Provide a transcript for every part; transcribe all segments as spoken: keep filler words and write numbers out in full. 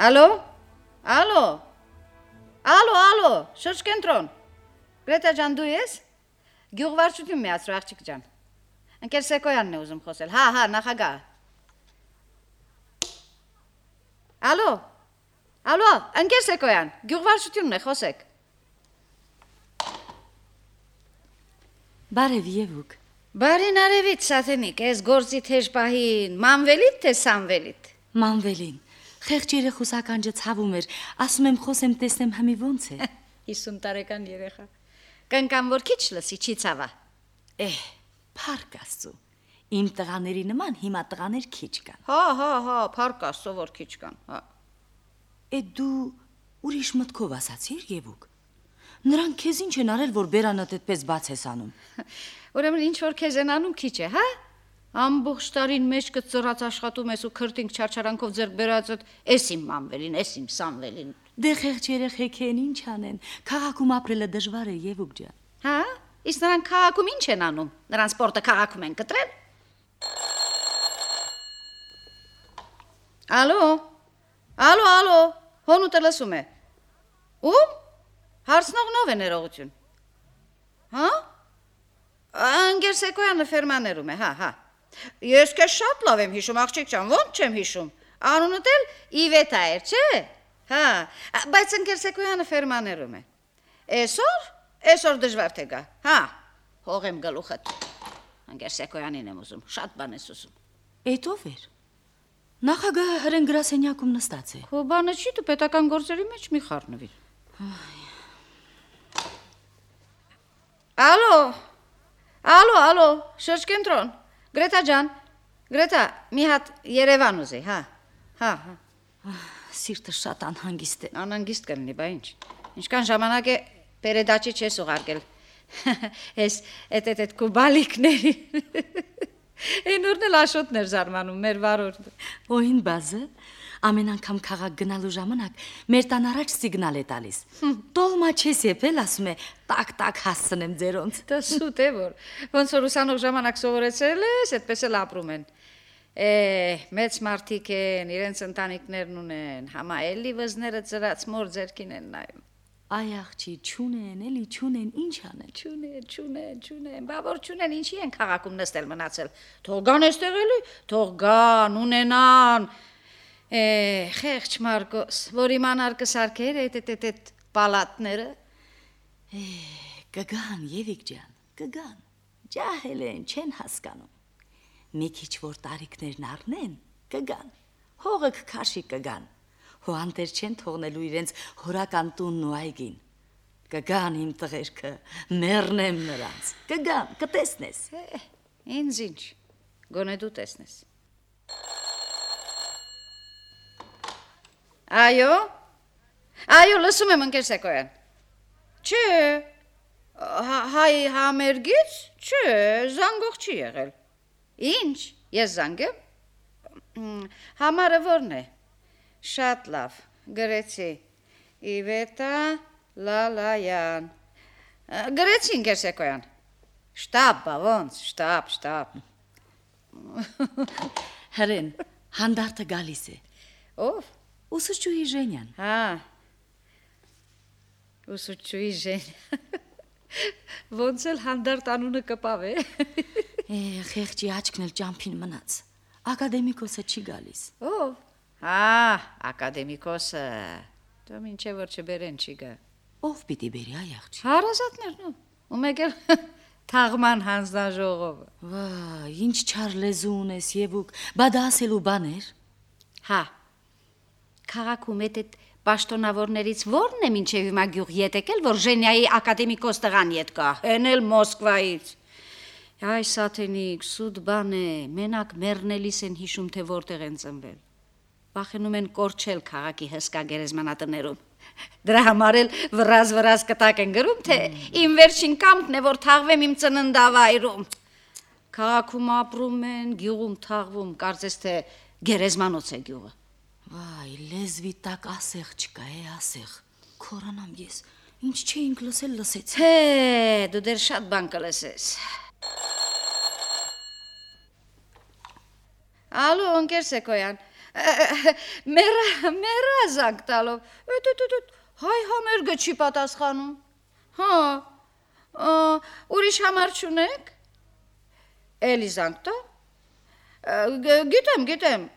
Ալո, ալո, ալո, ալո, շրջկենտրոն, Գրետա ջան դու ես, գյուղվարչություն միացրու աղջիկ ջան, ընկեր Սեկոյանն է ուզում խոսել, հա, հա, նախագահ, ալո, ալո, ընկեր Սեկոյան, գյուղվարչությունն է, խոսեք, Բարև Եվուկ, Բարին արևից սաթենիկ, ես գործի թեժ պահին, մանվելիտ թե սանվելիտ, Մանվելին, խեղճ երեխուսականջը ցավում էր, ասում եմ խոսեմ տեսնեմ հմի ոնց է։ հիսուն տարեկան երեխա, կնկամ որ քիչ լսի, չի ցավա։ Էհ, փառք Աստծո, իմ տղաների նման հիմա տղաներ քիչ կան։ Հա, հա, հա, փառք Աստծո որ քիչ կան, հա։ Է դու ուրիշ մտքով ասացիր Եվուկ։ Նրանք քեզ ինչ են արել, որ բերանդ այդպես բաց ես անում։ Ուրեմն ինչ որ քեզ են անում քիչ է, հա։ Ամբողջ տարին մեջ կծրած աշխատում ես ու քրտինք չարչարանքով ձեռք բերածդ, էս իմ մանվելին, էս իմ սանվելին։ Դե խեղճ երեխեք են ինչ անեն, քաղաքում ապրելը դժվար է Եվուկ ջան։ Հա, իսկ նրանք քաղաքում ինչ են անում։ Նրանց սպորտը քաղաքում են կտրել։ Ալո։ Ալո, ալո, հոնուտը լսում է։ Ում? Հարցնողնով է ներողություն։ Հա? Անգեր Սեկոյանը ֆերմաներում է, հա, հա։ Ես քեզ շատ լավ եմ հիշում, աղջիկ ջան, ոնց չեմ հիշում։ Անունդ էլ Իվետա էր, չէ՞։ Հա, բայց Անգեր Սեկոյանը ֆերմաներում է։ Այսօր, այսօր դժվար թե գա։ Հա, հողեմ գլուխդ։ Անգեր Սեկոյանին եմ ուզում, շատ բան ես ուզում։ Էդ ով էր։ Նախագահը հրեն գրասենյակում նստած է։ Քո բանը չի, դու պետական գործերի մեջ մի խառնվիր։ Ալո։ Ալո, ալո, շրջկենտրոն, Գրետա ջան, Գրետա, մի հատ Երևան ուզի, հա, հա, հա, Սիրտը շատ անհանգիստ է, անհանգիստ կլինի, բա ինչ, ինչքան ժամանակ է պերեդաչի չես ուղարկել, ես էտ էտ էտ կուբալիկների, են ուրն էլ աշոտն էր զարմանում, մեր վարորդը, Օին բազը, ամեն անգամ քաղաք գնալու ժամանակ մեր տան առաջ սիգնալ է տալիս, տոլմա չես եփել, ասում է, տակ-տակ հասցնեմ ձերոնց, դա սուտ է որ, ոնց որ ուսանող ժամանակ սովորեցրել ես, այդպես էլ ապրում են, է, մեծ մարդիկ են, իրենց ընտանիքներն ունեն, համա էլի վզները ծրած մոր ձերքին են նայում, Այ աղջի, չունեն, էլի չունեն, ինչ անեն, չունեն, չունեն, չունեն, բա որ չունեն, ինչի են քաղաքում նստել մնացել, թող գան էստեղ էլի, թող գան, ունենան, է, խեղճ Մարգոս, որ իմանար կսարքեր էտ էտ էտ էտ պալատները, է, կգան Եվիկ ջան, կգան, ջահել են, չեն հասկանում, մի քիչ որ տարիքներն առնեն, կգան, հողը կքաշի կգան, հոանտեր չեն թողնելու իրենց հորական տունն ու այգին, կգան իմ տղերքը, մեռնեմ նրանց, կգան, կտեսնես, է, ինձ ինչ, գոնե դու տեսնես, Այո, այո, լսում եմ ընկեր Սեկոյան, չէ, հայ համերգից, չէ, զանգող չի եղել, ինչ, ես զանգեմ, համարը որն է, շատ լավ, գրեցի, Իվետա Լալայան, գրեցի ընկեր Սեկոյան, շտապ, բա ոնց, շտապ, շտապ, հրեն, հանդարտը գալիս է, ով, ուսուցչուհի Ժենյան, հա, ուսուցչուհի Ժենյան, ոնց էլ հանդարտ անունը կպավ է, է, խեղճի աչքն էլ ճամփին մնաց, ակադեմիկոսը չի գալիս, ով, հա, ակադեմիկոսը, դու մինչև որ չբերեն չի գա, ով պիտի բերի այ աղջի, հարազատներն ու, ու մեկ էլ թաղման հանձնաժողովը, վա, ինչ չար լեզու ունես Եվուկ, բա դա ասելու բաներ, հա, քաղաքում էտ էտ պաշտոնավորներից որն է մինչև հիմա գյուղ ետ եկել, որ Ժենյայի ակադեմիկոս տղան ետ կա, հեն էլ Մոսկվայից, այ սաթենիկ, սուտ բան է, մենակ մեռնելիս են հիշում, թե որտեղ են ծնվել, վախենում են կորչել քաղաքի հսկա գերեզմանատներում, դրա համար էլ վրազ-վրազ կտակ են գրում, թե իմ վերջին կամքն է, որ թաղվեմ իմ ծննդավայրում, քաղաքում ապրում են, գյուղում թաղվում, կարծես թե գերեզմանոց է գյուղը, Վայ, լեզվի տակ ասեղ չկա, է ասեղ, քորանամ ես, ինչ չէինք լսել լսեց, Հե, դու դեր շատ բան կլսես, Ալո, ընկեր Սեկոյան։ Մերա, մերա զանգ տալով։ Հայ համերգը չի պատասխանում։ Հա։ Ուրիշ համար չունեք։ Էլի զանգ տա։ Գիտեմ, գիտեմ։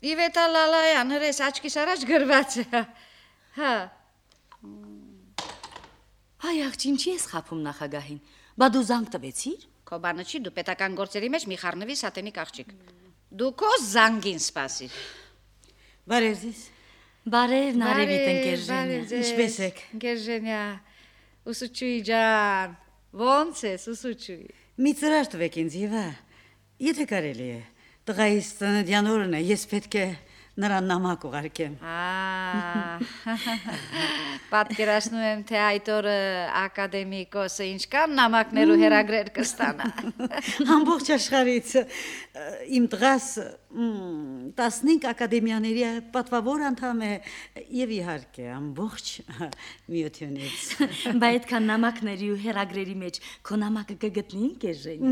Իվետա Լալայան, հրես աչքիս առաջ գրված է։ Հա։ Հայ աղջի, ինչի ես խափում նախագահին։ Բա դու զանգ տվեցիր։ Քո բանը չի, դու պետական գործերի մեջ մի խառնվի սատենիկ աղջիկ։ Դու քո զանգին սպասիր։ Բարև ձեզ։ Բարև, Նարևիտ ընկեր Ժենյա։ Ինչպես եք։ Ընկեր Ժենյա, ուսուցչուի ջան, ո՞նց ես ուսուցչուի։ Մի ծրար տվեք ինձ, Եվա, եթե կարելի է, տղայիս ծննդյան օրն է, ես պետք է նրան նամակ ուղարկեմ։ Պատկերացնում եմ, թե այդ օրը ակադեմիկոսը ինչքան նամակներ ու հեռագրեր կստանա։ Ամբողջ աշխարհից իմ տղաս տասնհինգ ակադեմիաների պատվավոր անդամ է եւ իհարկե ամբողջ միությունից։ Բայց այդքան նամակների ու հեռագրերի մեջ քո նամակը կգտնի ինքեր Ժենյա։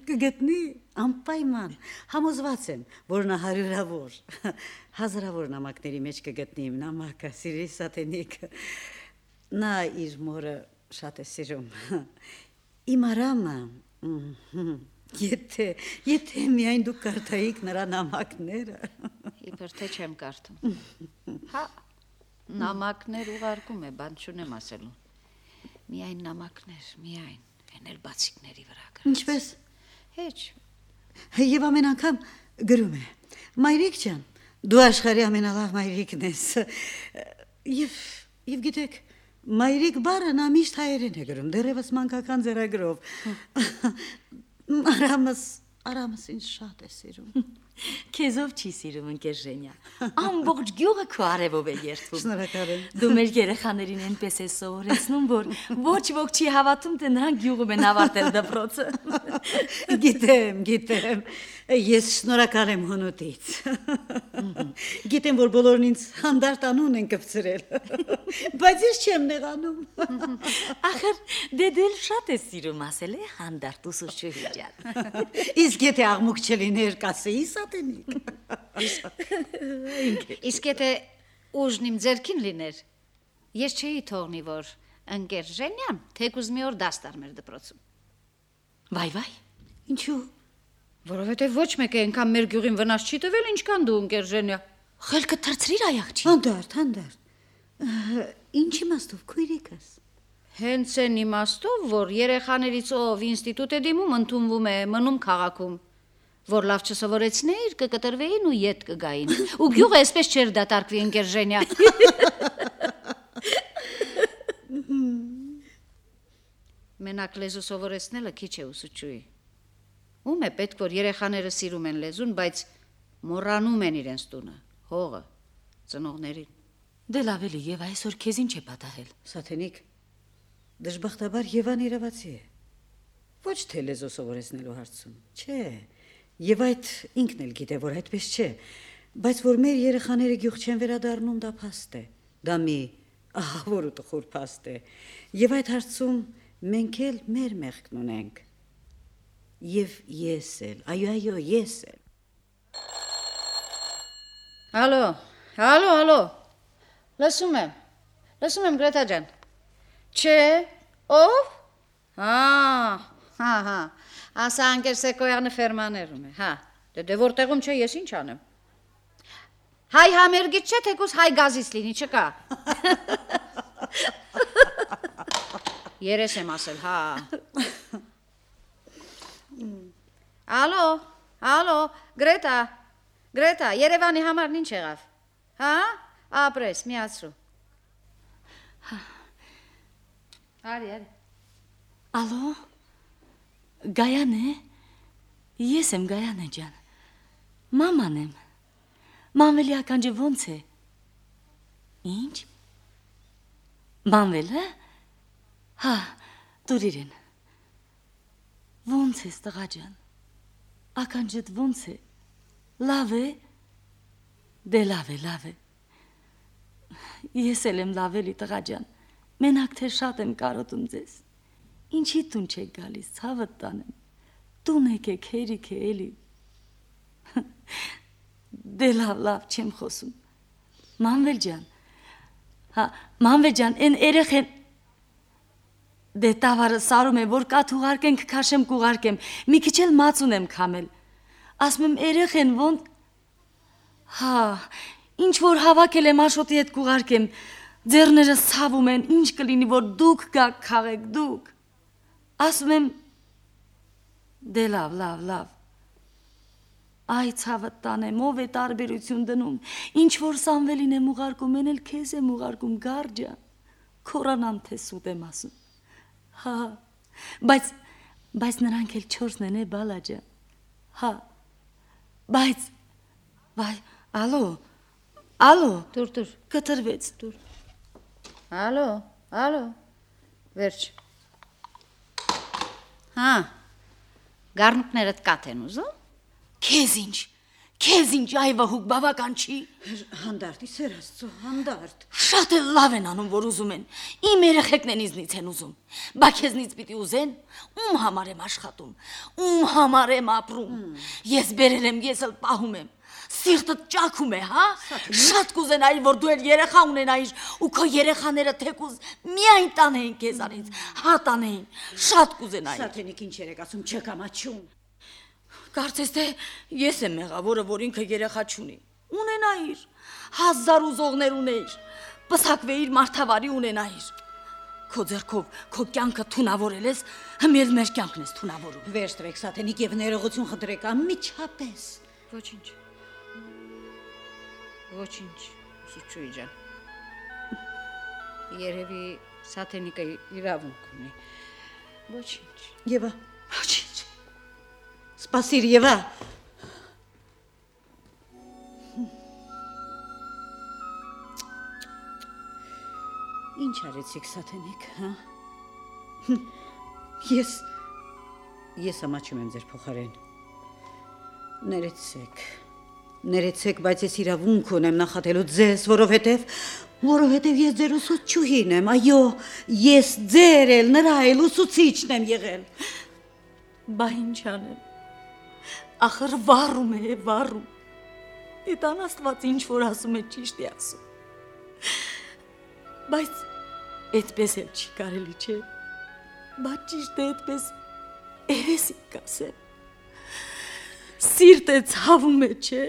Կգտնի անպայման, համոզված եմ, որ նա հարյուրավոր, հազարավոր նամակների մեջ կգտնի իմ նամակը, սիրելի Սատենիկ։ Նա իր մորը շատ է սիրում։ Իմ Արամը, եթե, եթե միայն դուք կարդայիք նրա նամակները։ Իբր թե չեմ կարդում։ Հա, նամակներ ուղարկում է, բան չունեմ ասելու։ Միայն նամակներ, միայն, են էլ բացիկների վրա գրած։ Ինչպես։ Հեչ։ Եվ ամեն անգամ գրում է. Մայրիկ ջան, դու աշխարհի ամենալավ մայրիկն ես։ Եվ եւ գիտեք, մայրիկ բառը նա միշտ հայերեն է գրում, դեռևս մանկական ձեռագրով։ Արամս, Արամս ինձ շատ է սիրում։ Քեզով չի սիրում ընկեր Ժենյա։ Ամբողջ գյուղը քո արևով է երդվում։ Շնորհակալ եմ։ Դու մեր երեխաներին այնպես ես սովորեցնում, որ ոչ ոք չի հավատում, թե նրանք գյուղում են ավարտել դպրոցը։ Գիտեմ, գիտեմ։ Ես շնորհակալ եմ հունուտից։ Գիտեմ, որ բոլորն ինձ հանդարտ անուն են կպցրել, բայց ես չեմ նեղանում։ Ախր դե դու շատ ես սիրում ասել է հանդարտ ուսուցչուհի ջան։ Իսկ եթե աղմուկ չլիներ, կասեի Սատենիկ։ Իսկ եթե ուժն իմ ձեռքին լիներ, ես չէի թողնի, որ ընկեր Ժենյան թեկուզ մի օր դաս տար մեր դպրոցում։ Վայ, վայ։ Ինչու։ Որովհետև ոչ մեկ է այնքան մեր գյուղին վնաս չի տվել, ինչքան դու ընկեր Ժենյա։ Խելքը թրծրիր այ աղջի։ Հանդարտ, հանդարտ։ Ինչ իմաստով քույրիկս։ Հենց այն իմաստով, որ երեխաներից ով ինստիտուտ է դիմում, ընդունվում է, մնում քաղաքում, որ լավ չսովորեցնեիր, կկտրվեին ու ետ կգային։ Ու գյուղը այսպես չէր դատարկվի ընկեր Ժենյա։ Մենակ լեզու սովորեցնելը քիչ է ուսուցչուի։ Ում է պետք, որ երեխաները սիրում են լեզուն, բայց մոռանում են իրենց տունը, հողը, ծնողներին։ Դե լավ էլի, եւ այսօր քեզ ինչ է պատահել։ Սատենիկ, դժբախտաբար Եվան իրավացի է։ Ոչ թե լեզու սովորեցնելու հարցում, չէ։ Եվ այդ ինքն էլ գիտե, որ այդպես չէ, բայց որ մեր երեխաները գյուղ չեն վերադառնում, դա փաստ է։ Դա մի ահավոր ու տխուր փաստ է։ Եվ այդ հարցում մենք էլ մեր մեղքն ունենք։ Եվ ես էլ, այո, այո, ես էլ։ Ալո, ալո, ալո։ Լսում եմ։ Լսում եմ Գրետա ջան։ Չէ, ով։ Հա, հա, հա։ Ասա ընկեր Սեկոյանը ֆերմաներում է, հա։ Դե դե որտեղում չէ, ես ինչ անեմ։ Հայ համերգից չէ, թեկուզ հայ գազից լինի, չկա։ Երես եմ ասել, հա։ Ալո, ալո, Գրետա, Գրետա, Երևանի համարն ինչ եղավ, հա, ապրես, միացրու, արի, արի, ալո, Գայան է, ես եմ Գայան է ջան, մաման եմ, մանվելի ականջը ոնց է, ինչ, մանվելը, հա, տուր իրեն, ոնց ես տղա ջան, ականջդ ոնց է, լավ է, դե լավ է, լավ է, ես էլ եմ լավ էլի տղա ջան, մենակ թե շատ եմ կարոտում ձեզ, Ինչի տուն չեք գալիս, ցավդ տանեմ։ Տուն եկեք, հերիք է էլի։ Դե լավ, լավ, չեմ խոսում։ Մանվել ջան։ Հա, Մանվել ջան, այն երեխեն դե տավարը սարում է, որ կաթ ուղարկենք, քաշեմ կուղարկեմ։ Մի քիչ էլ մաց ունեմ քամել։ Ասում եմ երեխեն ոնց Հա, ինչ որ հավաքել եմ Աշոտի հետ կուղարկեմ, ձեռներս ցավում են, ինչ կլինի որ դուք գաք քաղեք դուք։ Ասում եմ դե լավ, լավ, լավ։ Այ ցավը տանեմ, ով է տարբերություն դնում, ինչ որ Սամվելին եմ ուղարկում, են էլ քեզ եմ ուղարկում, գարջա։ Քորանամ թե սուտ եմ ասում։ Հա, բայց բայց նրանք էլ չորսն են, է բալաջա։ Հա, բայց վայ Ալո, ալո, Դուր, դուր, կտրվեց, դուր։ Ալո, ալո, վերջ։ Հա, գառնուկներդ կաթ են ուզում։ Քեզ ինչ, քեզ ինչ այվա հուկ բավական չի։ Հանդարտ, իսեր Աստծո, հանդարտ։ Շատ էլ լավ են անում, որ ուզում են։ Իմ երեխեքն են ինձնից են ուզում։ Բա քեզնից պիտի ուզեն, ում համար եմ աշխատում, ում համար եմ ապրում։ Ես բերել եմ, ես էլ պահում եմ։ Սիրտդ ճաքում է, հա? Շատ կուզենայի, որ դու էլ երեխա ունենայիր ու քո երեխաները թեկուզ միայն տանեին քեզանից, հա տանեին, շատ կուզենայի։ Սաթենիկ ինչ երեք ասում չկամաչում։ Կարծես թե ես եմ մեղավորը, որ ինքը երեխա չունի։ Ունենայիր, հազար ուզողներ ունեիր, պսակվեիր մարդավարի ունենայիր։ Քո ձեռքով քո կյանքը թունավորել ես, հմել մեր կյանքն ես թունավորում։ Վերջ տվեք Սաթենիկ եւ ներողություն խնդրեք անմիջապես։ Ոչինչ։ Ոչինչ, Սուչուի ջան։ Երևի Սաթենիկը իրավունք ունի։ Ոչինչ։ Եվա, Ոչինչ։ սպասիր Եվա։ Ինչ արեցիք Սաթենիկ, հա? Ես ես ամաչում եմ ձեր փոխարեն։ Ներեցեք։ Ներեցեք, բայց ես իրավունք ունեմ նախատելու ձեզ, որովհետև որովհետև ես ձեր ուսուցչուհին եմ, այո, ես ձեր էլ նրա էլ ուսուցիչն եմ եղել։ Բա ինչ անեմ։ Ախր վառում է, վառում։ Դիտան Աստված ինչ որ ասում է ճիշտ է ասում։ Բայց այդպես էլ չի կարելի, չէ։ Բա ճիշտ է այդպես երեսի կասեմ։ Սիրտը ցավում է, չէ։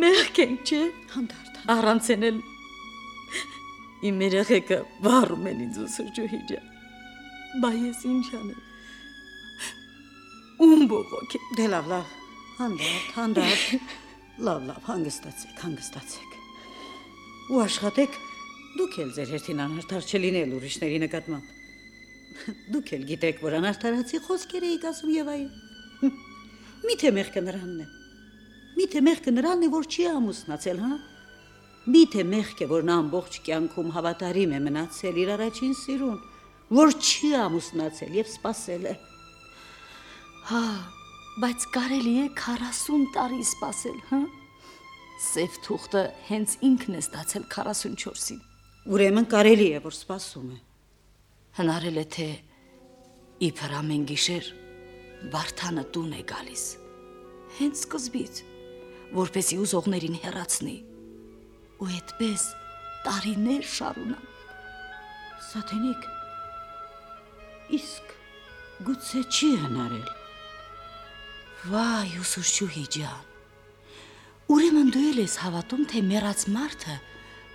Մեղք ենք, չէ։ Հանդարտ։ Առանց են էլ իմ երեխեքը վառում են ինձ ուսուցչուհի ջան։ Բա ես ինչ անեմ։ Ում բողոք է։ Դե լավ, լավ, հանդարտ, հանդարտ, լավ, լավ, հանգստացեք, հանգստացեք, ու աշխատեք, դուք էլ ձեր հերթին անարդար չլինել ուրիշների նկատմամբ, դուք էլ գիտեք, որ անարդարացի խոսքեր էիք ասում Եվայի, միթե մեղքը նրանն է, միթե մեղքը նրանն է, որ չի ամուսնացել, հա, միթե մեղք է, որ նա ամբողջ կյանքում հավատարիմ է մնացել իր առաջին սիրուն, որ չի ամուսնացել եւ սպասել է։ Հա, բայց կարելի է քառասուն տարի սպասել, հա։ Սև թուղթը հենց ինքն է ստացել քառասունչորսին։ Ուրեմն կարելի է, որ սպասում է։ Հնարել է թե իբր ամեն գիշեր Վարդանը տուն է գալիս։ Հենց սկզբից, որպեսի ուզողներին հեռացնի։ Ու այդպես տարիներ շարունակ։ Սաթենիկ, իսկ գուցե չի հնարել։ Վայ, ուսուցչուհի ջան, ուրեմն դու էլ ես հավատում, թե մեռած մարդը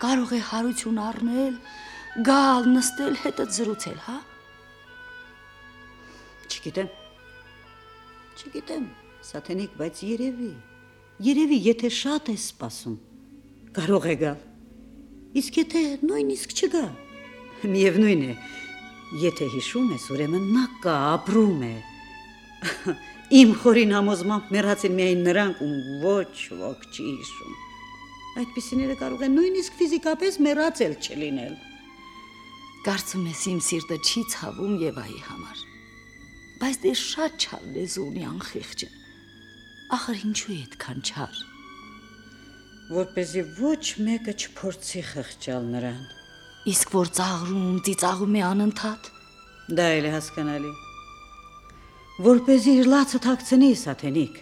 կարող է հարություն առնել, գալ, նստել, հետը զրուցել, հա? Չգիտեմ, չգիտեմ, Սաթենիկ, բայց երևի, երևի, եթե շատ է սպասում, կարող է գալ, իսկ եթե նույնիսկ չգա, միևնույն է, եթե հիշում ես, ուրեմն նա կա, ապրում է, իմ խորին համոզմամբ մեռած են միայն նրանք, ում ոչ ոք չի հիշում, այդպիսիները կարող են նույնիսկ ֆիզիկապես մեռած էլ չլինել։ Կարծում ես իմ սիրտը չի ցավում Եվայի համար, բայց դե շատ չար լեզու ունի անխիղճը, ախր ինչու է այդքան չար։ Որպեսզի ոչ մեկը չփորձի խղճալ նրան, Իսկ որ ծաղրում, ծիծաղում է անընդհատ։ Դա էլ է հասկանալի։ Որպեսզի իր լացը թաքցնի Սաթենիկ։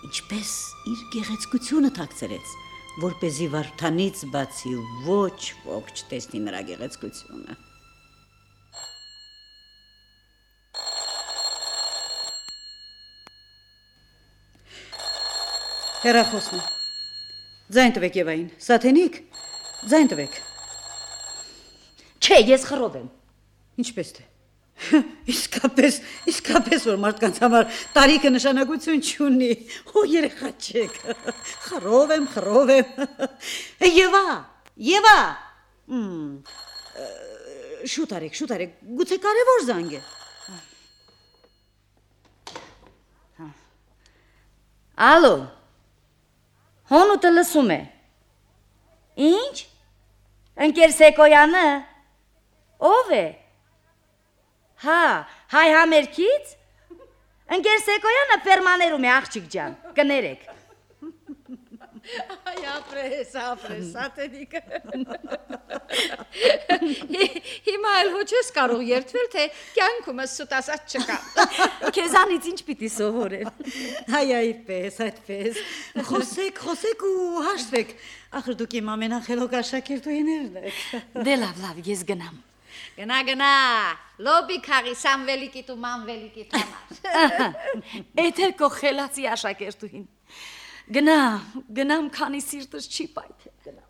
Ինչպես իր գեղեցկությունը թաքցրեց, որպեսզի Վարդանից բացի ոչ ոք չտեսնի նրա գեղեցկությունը։ Հեռախոսն է։ Ձայն տվեք Եվային։ Սաթենիկ, ձայն տվեք։ Չէ, ես խռով եմ։ Ինչպես թե։ Իսկապես, իսկապես որ մարդկանց համար տարիքը նշանակություն չունի։ Օ երեխա չեք։ Խռով եմ, խռով եմ։ Եվա, Եվա։ Շուտ արեք, շուտ արեք։ Գուցե կարևոր զանգ է։ Ալո։ Հոնուտը լսում է։ Ինչ։ Ընկեր Սեկոյանը։ Ով է։ Հա, հայ համերգից։ Ընկեր Սեկոյանը ֆերմաներում է աղջիկ ջան։ Կներեք։ Այ ապրես, ապրես, Սաթենիկը։ Հիմա էլ ոչ ես կարող երդվել, թե կյանքումս սուտ ասած չկա։ Քեզանից ինչ պիտի սովորել։ Այ այդպես, այդպես։ Խոսեք, խոսեք ու հաշտվեք։ Ախր դուք իմ ամենախելոք աշակերտուհիներն եք։ Դե լավ, լավ, ես գնամ։ Գնա, գնա, լոբի քարի Սամվելիկիտ ու Մանվելիկիտ համար։ Էդ էլ քո խելացի աշակերտուհին։ Գնա, գնամ, քանի սիրտս չի պայթել, գնամ։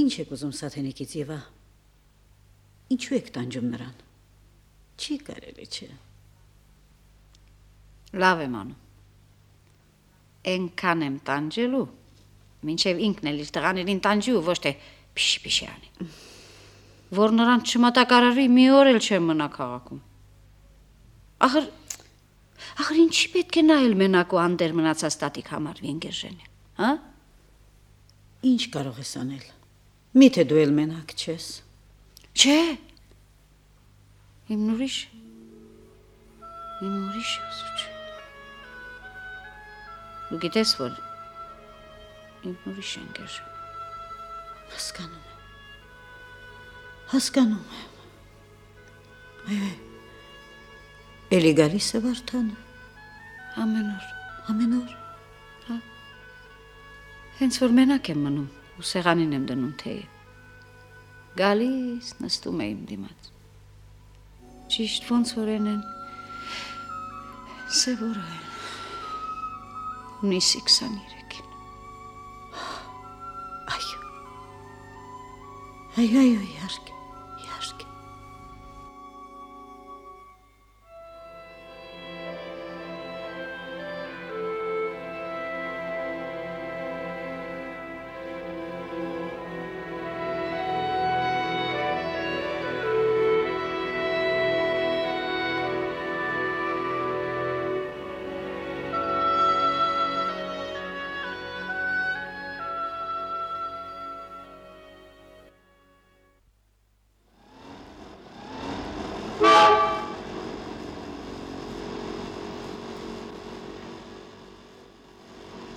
Ինչ եք ուզում Սաթենիկից, Եվա։ Ինչու եք տանջում նրան։ Չի կարելի, չէ։ Լավ եմ անում։ Էնքան եմ տանջելու, մինչև ինքն էլ իր տղաներին տանջի ու ոչ թե փիշ-փիշ անի։ Որ նրան չմատակարարի, մի օր էլ չեմ մնա քաղաքում։ Ախր, ախր ինչի պետք է նայել մենակ ու անդեր մնացած տատիկ համարվի ընկերժենը, հա? Ինչ կարող ես անել։ Միթե դու էլ մենակ չես։ Չէ։ Իմ ուրիշ, իմ ուրիշ ուսուչ։ Դու գիտես, որ իմ ուրիշ ընկեր։ Հասկանում եմ։ Հասկանում եմ։ Այ, էլի գալիս է Վարդանը։ Ամեն օր։ Ամեն օր։ Հա։ Հենց որ մենակ եմ մնում ու սեղանին եմ դնում թեյը։ Գալիս նստում է իմ դիմաց։ Ճիշտ ոնց որ են են սևորը են։ Ունիսի քսաներեքին։ Այո։ Այո, այո, իհարկե, իհարկե։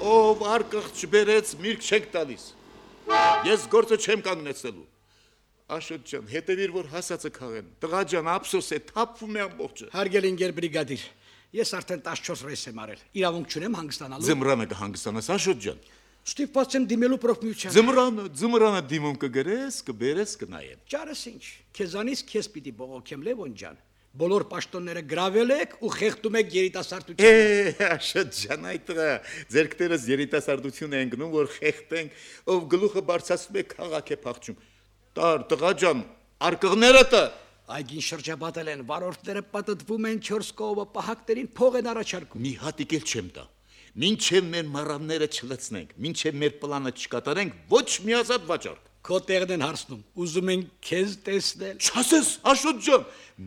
Ով արկղ չբերեց, միրգ չենք տալիս։ Ես գործը չեմ կանգնեցնելու։ Աշոտ ջան, հետևիր, որ հասածը քաղեն։ Տղա ջան, ափսոս է, թափվում է ամբողջը։ Հարգելի ընկեր բրիգադիր, ես արդեն տասնչորս ռейս եմ արել։ Իրավունք չունեմ հանգստանալու։ Ձմռանը կհանգստանաս, Աշոտ ջան։ Ստիպված եմ դիմելու պրոֆմիության։ Ձմռանը, ձմռանը դիմում կգրես, կբերես, կնայեն։ Ճարս ինչ։ Քեզանից քեզ պիտի բողոքեմ, Լևոն ջան։ Բոլոր պաշտոնները գրավել եք ու խեղդում եք երիտասարդությունը։ Է, Աշոտ ջան, այդ տղա, ձերքներս երիտասարդություն են գնում, որ խեղդենք, ով գլուխը բարձրացնում է քաղաք է փախչում։ Տար, տղա ջան, արկղները տա։ Այգին շրջապատել են, վարորդները պատտվում են չորս կողմը, պահակներին փող են առաջարկում։ Մի հատիկ էլ չեմ տա։ Մինչև մեր մառանները չլցնենք, մինչև մեր պլանը չկատարենք, ոչ մի ազատ վաճառք։ Քո տեղն են հարցնում, ուզում են քեզ տեսնել։ Չասես, Աշոտ ջան,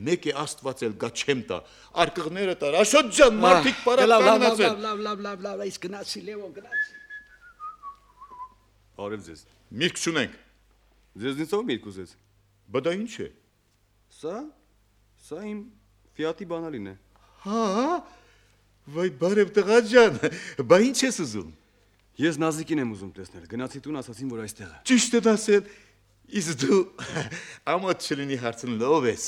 մեկ է Աստված էլ գա չեմ տա, արկղները տար, Աշոտ ջան, մարդիկ պարապ կանգնած են։ Լավ, լավ, լավ, լավ, այս գնացի, Լևոն, գնացի։ Արև ձեզ։ Միրգ չունենք։ Ձեզնից ով միրգ ուզեց։ Բա դա ինչ է։ Սա, սա իմ Ֆիատի բանալին է։ Հա, վայ բարև տղա ջան, բա ինչ ես ուզում։ Ես Նազիկին եմ ուզում տեսնել։ Գնացի տուն, ասացին, որ այստեղ է։ Ճիշտ է ասել։ Իսկ դու ամոթ չլինի հարցն լով ես։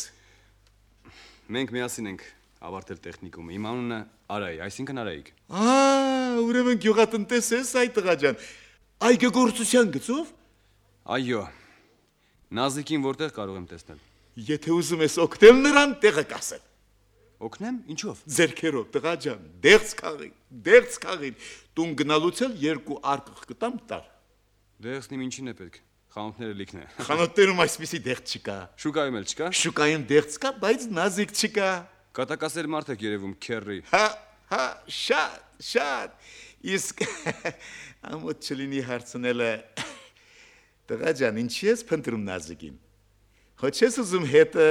Մենք միասին ենք ավարտել տեխնիկումը։ Իմ անունը Արայ, այսինքն Արայիկ։ Ա, ուրեմն գյուղատնտես ես այ տղա ջան։ Այգեգործության գծով։ Այո։ Նազիկին որտեղ կարող եմ տեսնել։ Եթե ուզում ես օգնել նրան, տեղը կասել։ Օգնեմ, ինչով։ Ձերքերով, տղա ջան, դեղց քաղի, դեղց քաղի։ Տուն գնալուց էլ երկու արկղ կտամ տար։ Դեղցն իմ ինչին է պետք։ Խանութները լիքն է։ Խանութներում այսպիսի դեղց չկա։ Շուկայում էլ չկա։ Շուկայում դեղց կա, բայց նազիկ չկա։ Կատակասեր մարդ եք երևում, քերրի։ Հա, հա, շատ, շատ։ Իսկ ամոթ չլինի հարցնելը։ Տղա ջան, ինչի ես փնտրում նազիկին։ Ոչ ես ուզում հետը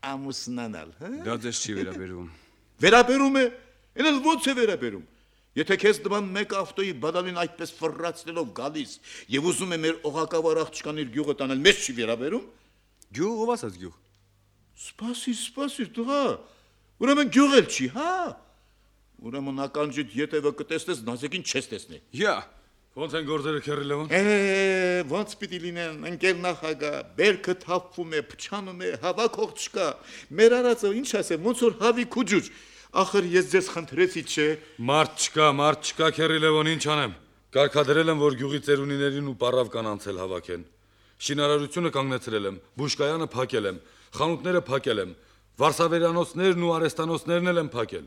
ամուսնանալ, հա։ Դա ձեզ չի վերաբերում։ Վերաբերում է, էլ ո՞նց է վերաբերում։ Եթե քեզ դման մեկ ավտոյի բադալին այդպես ֆռռացնելով գալիս եւ ուզում է մեր օղակավար աղջկան իր գյուղը տանել, մեզ չի վերաբերում։ Գյուղ ով ասած գյուղ։ Սպասի, սպասի, տղա։ Ուրեմն գյուղ էլ չի, հա։ Ուրեմն ականջիդ յետևը կտեսնես, նազիկին չես տեսնի։ Յա։ Ոնց են գործերը քերրի Լևոն։ Է, ոնց պիտի լինեն, ընկեր նախագահ, բերքը թափվում է, փչանում է, հավաքող չկա։ Մեր արածը ինչ ասեմ, ոնց որ հավի քուջուջ։ Ախր ես ձեզ խնդրեցի, չէ։ Մարդ չկա, մարդ չկա քերրի Լևոն, ինչ անեմ։ Կարգադրել եմ, որ գյուղի ծերունիներին ու պարավ կանանցել հավաքեն։ Շինարարությունը կանգնեցրել եմ, բուժկայանը փակել եմ, խանութները փակել եմ, վարսավերանոցներն ու արեստանոցներն էլ եմ փակել։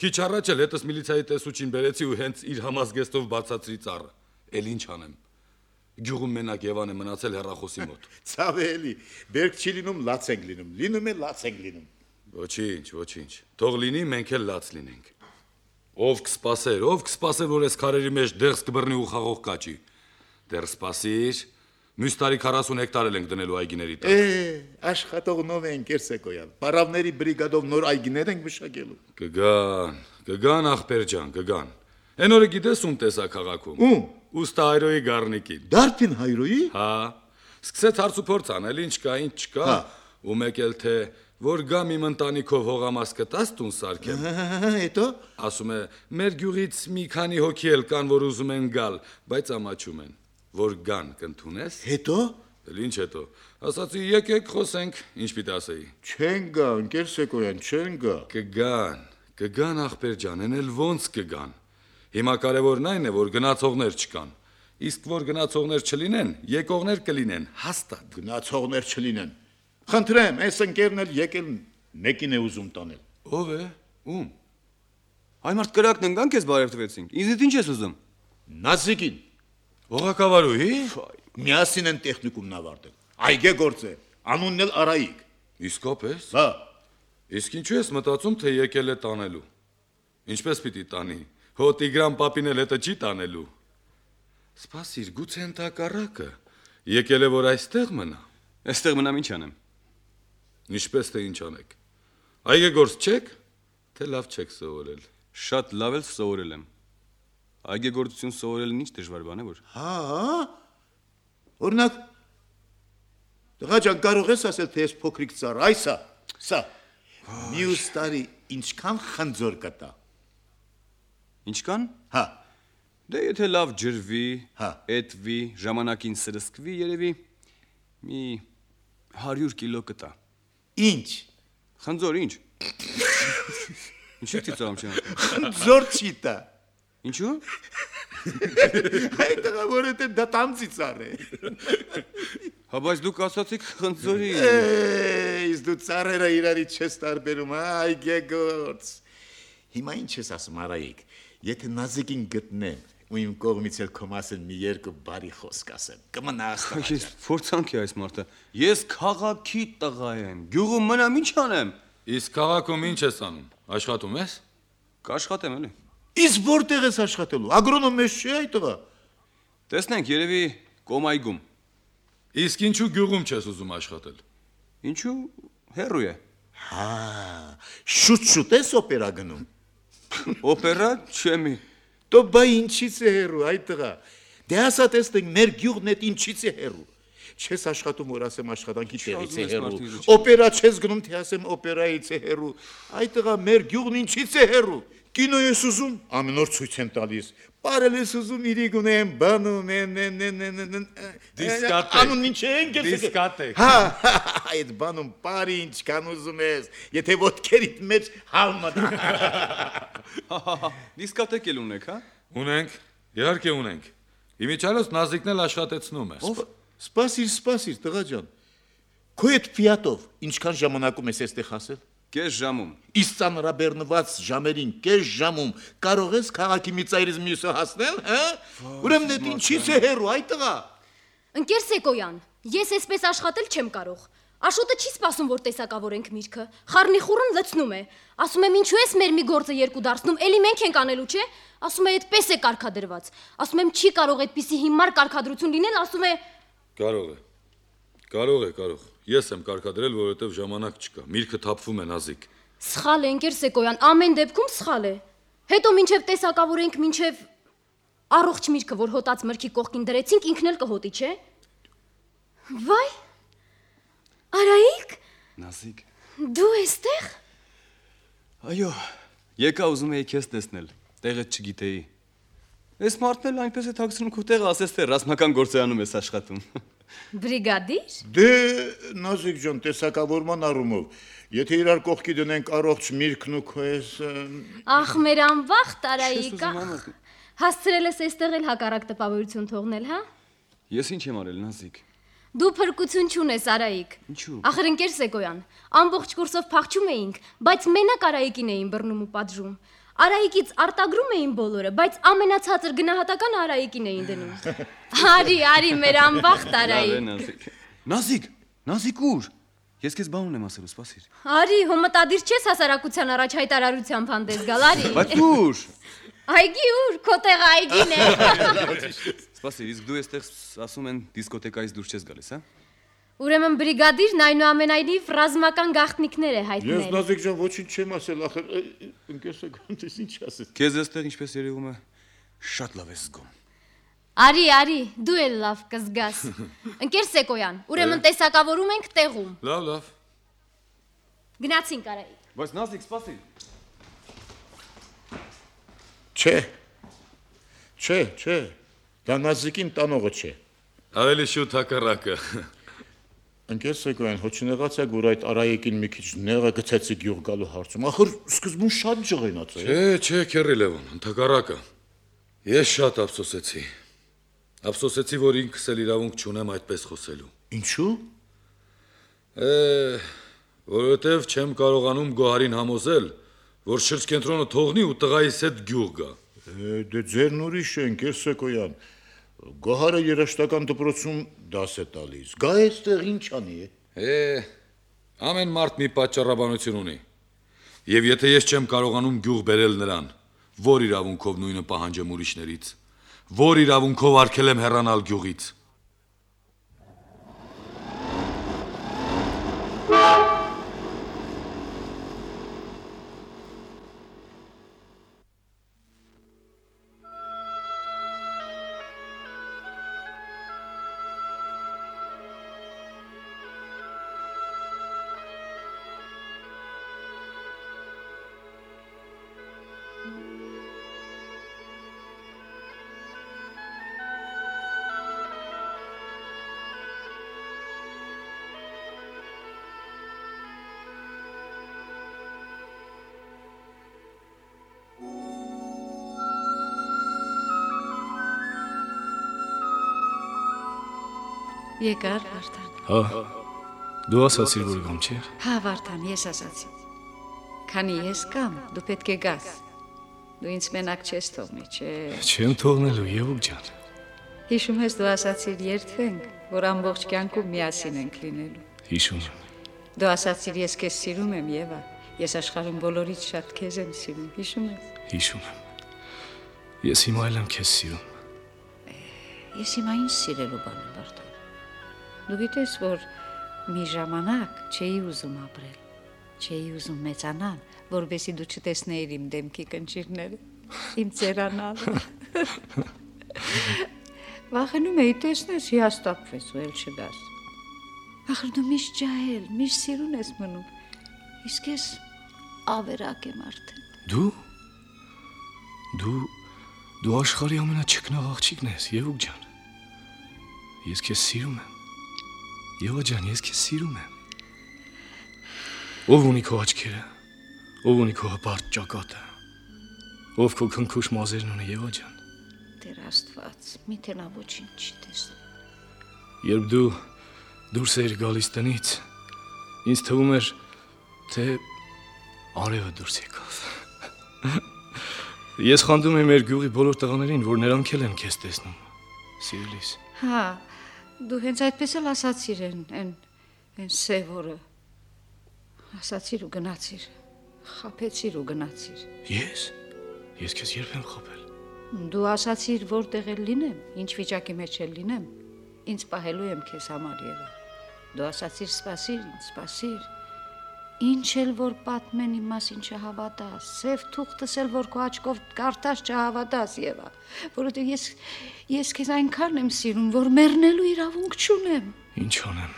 Քիչ առաջ էլ հետս միլիցիայի տեսուչին բերեցի ու հենց իր համազգեստով բացացրի ծառը։ Էլ ինչ անեմ։ Գյուղում մենակ Եվան է մնացել հեռախոսի մոտ։ Ցավելի, բերք չի լինում, լաց ենք լինում, լինում է լաց ենք լինում։ Ոչինչ, ոչինչ։ Թող լինի, մենք էլ լաց լինենք։ Ով կսպասեր, ով կսպասեր, որ այս քարերի մեջ դեղս կբռնի ու խաղող կաճի։ Դեռ սպասիր։ Մյուս տարի քառասուն հեկտար ենք դնելու այգիների տակ։ Է, աշխատողնով են Կերսեկոյան։ Պարավների բրիգադով նոր այգիներ ենք մշակելու։ Կգան, կգան ախպեր ջան, կգան։ Էն օրը գիտես ում տեսա քաղաքում։ Ում։ Ուստա հայրոյի գառնիկին։ Դարբին հայրոյի։ Հա։ Սկսեց հարց ու փորձ անել, ինչ կա, ինչ չկա։ Ու մեկ էլ թե որ գամ իմ ընտանիքով հողամաս կտաս տուն սարքեմ։ Հետո ասում է, մեր գյուղից մի քանի հոգի էլ կան, որ ուզում են գալ, բայց ամաչում են։ Որ գան կընդունես։ Հետո Էլ ինչ հետո։ Ասացի եկեք խոսենք, ինչ պիտի ասեի։ չեն գա, ընկեր Սեկոյան, չեն գա։ Կգան, կգան ախպեր ջան, են էլ ոնց կգան։ Հիմա կարևորն այն է, որ գնացողներ չկան։ Իսկ որ գնացողներ չլինեն, եկողներ կլինեն, հաստատ։ Գնացողներ չլինեն։ Խնդրեմ, այս ընկերն էլ եկել մեկին է ուզում տանել։ Ով է։ Ում։ Այ մարդ կրակն ընկան քեզ բարև տվեցինք։ Ինձ ինչ ես ուզում։ Նազիկին Օղակավարուհի։ միասին են տեխնիկումն ավարտել։ Այգե գործ է, անունն էլ Արայիկ։ Իսկապես։ Հա, Իսկ ինչու ես մտածում, թե եկել է տանելու։ Ինչպես պիտի տանի։ Հո Տիգրան պապին էլ հետը չի տանելու։ Սպասիր, գուցե ընդհակառակը։ Եկել է որ այստեղ մնա։ Այստեղ մնամ ինչ անեմ։ Ինչպես թե ինչ անեք։ Այգեգործ չեք, թե լավ չեք սովորել։ Շատ լավ էլ սովորել եմ։ Այգեգործություն սովորելն ինչ դժվար բան է որ։ հա։ Օրինակ Տղա ջան, կարող ես ասել, թե ես փոքրիկ ծառ, այսա, սա։ Մյուս տարի ինչքան խնձոր կտա։ Ինչքան։ Հա, Դե եթե լավ ջրվի, Հա։ էտվի, ժամանակին սրսկվի, երևի մի հարյուր կիլո կտա։ ինչ։ Խնձոր ինչ։ Ինչու՞ ծիծաղում չեմ։ Խնձոր չի տա։ Ինչու։ Այդ տղա որովհետև դա տանձի ծառ է։ Հա բայց դուք ասացիք խնձորի։ Իսկ դու ծառերը իրարի չես տարբերում, այգեգործ։ Հիմա ինչ ես ասում, Արայիկ, եթե Նազիկին գտնեմ, ու իմ կողմից էլ քո մասին մի երկու բարի խոսք ասեմ, կմնաս տղա Ես ջան։ փորձանք է այս մարդը։ Ես քաղաքի տղա եմ։ Գյուղում մնամ ինչ անեմ։ Իսկ քաղաքում ինչ ես անում։ Աշխատում ես։ Կաշխատեմ էլի։ Իսկ որտեղ ես աշխատելու։ Ագրոնոմ ես չի այդ տղա։ Տեսնենք երևի կոմայգում։ Իսկ ինչու գյուղում չես ուզում աշխատել։ Ինչու հերոյ է։ Հա, շուտ-շուտ ես օպերա գնում։ Օպերա չեմի։ Դու բայ ինչից է հերու, այդ տղա։ Դե ասա տեսնենք մեր գյուղն էդ ինչից է հերու։ Չես աշխատում, որ ասեմ աշխատանքի տեղից է հերու։ Օպերա չես գնում, թե ասեմ օպերայից է հերու։ Այդ տղա մեր գյուղն ինչից է հերու։ Կինո ես ուզում, ամեն օր ցույց են տալիս։ Բարել ես ուզում, իրիկ ունեմ, բանում են, են, են, են, են, Դիսկատեկ։ Անուն ինչ են, Դիսկատեկ։ Հա, այդ բանում բարի ինչքան ուզում ես, եթե ոտքերիդ մեջ հալմա դա։ Դիսկոտեք էլ ունեք, հա։ Ունենք, իհարկե ունենք։ Իմիջիայլոց Նազիկն էլ աշխատեցնում է։ Սպասիր, սպասիր, տղա ջան։ Քո այդ ֆիատով ինչքան ժամանակում ես այստեղ հասել։ Կես ժամում։ Իսկ ծանրաբեռնված ժամերին կես ժամում կարող ես քաղաքի մի ծայրից մյուսը հասնել, հա։ Ուրեմն դա ինչի՞ց է հեռու, այ տղա։ Ընկեր Սեկոյան, ես այսպես աշխատել չեմ կարող։ Աշոտը չի սպասում, որ տեսակավորենք միրգը։ Խառնիխուռն լցնում է։ Ասում եմ, ինչու ես մեր մի գործը երկու դարձնում, էլի մենք ենք անելու, չէ։ Ասում է, այդպես է կարգադրված։ Ասում եմ, չի կարող այդպիսի հիմար կարգադրություն լինել, ասում է։ Կարող է։ Կարող է, կարող։ Ես եմ կարգադրել, որովհետև ժամանակ չկա։ Միրգը թափվում է Նազիկ։ Սխալ է, ընկեր Սեկոյան, ամեն դեպքում սխալ է։ Հետո մինչև տեսակավորենք, մինչև առողջ միրգը, որ հոտած մրգի կողքին դրեցինք, ինքն էլ կհոտի, չէ։ Վայ։ Արայիկ։ Նազիկ։ Դու էստեղ։ Այո, եկա ուզում էի քեզ տեսնել, տեղը չգիտեի։ Այս մարդն էլ այնպես է թաքցնում քո տեղը, ասես թե ռազմական գործարանում ես աշխատում։ Բրիգադիր։ Դե Նազիկ ջան, տեսակավորման առումով, եթե իրար կողքի դնենք առողջ միրգն ու քո ես Ախ, մեր անվախ Տարայիկա։ Հասցրել ես այստեղ էլ հակառակ տպավորություն թողնել, հա։ Ես ինչ եմ արել, Նազիկ։ Դու փրկություն չունես, Արայիկ։ Ինչու։ Ախր ընկեր Սեկոյան, ամբողջ կուրսով փախչում էինք, բայց մենակ Արայիկին էին բռնում ու պատժում։ Արայիկից արտագրում էին բոլորը, բայց ամենացածր գնահատական Արայիկին էին դնում։ Արի, արի, մեր անվախ Տարայիկ։ Նազիկ, Նազիկ ուր։ Ես քեզ բան ունեմ ասելու, սպասիր։ Արի, հո մտադիր չես հասարակության առաջ հայտարարությամբ հանդես գալ, արի։ Բայց ուր։ Այգի ուր, քո տեղը այգին է։ Սպասիր, իսկ դու այստեղ ասում են դիսկոտեկայից դուրս չես գալիս, հա։ Ուրեմն բրիգադիրն այնուամենայնիվ ռազմական գաղտնիքներ է հայտնել։ Ես Նազիկ ջան ոչինչ չեմ ասել, ախր ընկեր Սեկոյան, դες ինչ ասես։ Քեզ այստեղ ինչպես երևում է, շատ լավ ես զգում։ Արի, արի, դու էլ լավ կզգաս։ Ընկեր Սեկոյան, ուրեմն տեսակավորում ենք տեղում։ Լավ, լավ։ Գնացինք Արայիկ։ Բայց Նազիկ, սպասիր։ Չէ։ Չէ, չէ։ Դա Նազիկին տանողը չէ։ Ավելի շուտ հակառակը։ Ընկեր Սեկոյան, հո չնեղացեք, որ այդ Արայիկին մի քիչ նեղը գցեցի գյուղ գալու հարցում։ Ախր սկզբում շատ ջղայնաց է։ Չէ, չէ, քերի Լևոն, հակառակը։ Ես շատ ափսոսեցի։ Ափսոսեցի, որ ինքս էլ իրավունք չունեմ այդպես խոսելու։ Ինչու։ Է, որովհետև չեմ կարողանում Գոհարին համոզել, որ շրջկենտրոնը թողնի ու տղայիս հետ գյուղ գա։ Դե ձերն ուրիշ է, ընկեր Սեկոյան։ Գոհարը երաշտական դպրոցում դաս է տալիս։ Գա այստեղ ինչ անի է։ Է, ամեն մարդ մի պատճառաբանություն ունի։ Եվ եթե ես չեմ կարողանում գյուղ բերել նրան, որ իրավունքով նույնը պահանջեմ ուրիշներից, որ իրավունքով արգել եմ հեռանալ գյուղից։ Եկար Վարդան։ Հա։ Դու ասացիր, որ գամ չէ։ Հա Վարդան, ես ասացի։ Քանի ես կամ, դու պետք է գաս։ Դու ինձ մենակ չես թողնի, չէ։ Չեմ թողնելու, Եվուկ ջան։ Հիշում ես դու ասացիր երթվենք, որ ամբողջ կյանքում միասին ենք լինելու։ Հիշում եմ։ Դու ասացիր ես քեզ սիրում եմ, Եվա։ Ես աշխարհում բոլորից շատ քեզ եմ սիրում, հիշում ես։ Հիշում եմ։ Ես հիմա էլ եմ քեզ սիրում։ Ես հիմա ինչ սիրելու բան եմ, Վարդան։ Դու գիտես, որ մի ժամանակ չէի ուզում ապրել, չէի ուզում մեծանալ, որովհետեւ դու չտեսնեիր իմ դեմքի կնճիռները, իմ ծերանալը։ Վախենում էի տեսնես հիաստափվես ու էլ չգաս։ Ախր դու միշտ ջահել, միշտ սիրուն ես մնում։ Իսկ ես ավերակ եմ արդեն։ Դու։ Դու դու աշխարհի ամենաչքնաղ աղջիկն ես, Եվուկ ջան։ Ես քեզ սիրում եմ։ Եվա ջան, ես քեզ սիրում եմ։ Ով ունի քո աչքերը, ով ունի քո հպարտ ճակատը, ով քո քնքուշ մազերն ունի, Եվա ջան։ Տեր Աստված, միթե նա ոչինչ չի տեսնում։ Երբ դու դուրս էիր գալիս տնից, ինձ թվում էր, թե արևը դուրս եկավ։ Ես խանդում եմ մեր գյուղի բոլոր տղաներին, որ նրանք էլ են քեզ տեսնում, սիրելիս։ Հա, դու հենց այդպես էլ ասացիր են, են, են սև օրը։ Ասացիր ու գնացիր, խաբեցիր ու գնացիր։ Ես? Ես քեզ երբ եմ խաբել։ Դու ասացիր որտեղ էլ լինեմ, ինչ վիճակի մեջ էլ լինեմ, ինձ պահելու եմ քեզ համար Եվա։ Դու ասացիր սպասիր ինձ, սպասիր։ Ինչ էլ որ պատմեն իմ մասին չհավատաս, սև թուղթս էլ որ քո աչքով կարդաս չհավատաս Եվա, որովհետև ես ես քեզ այնքան եմ սիրում, որ մեռնելու իրավունք չունեմ։ Ինչ անեմ։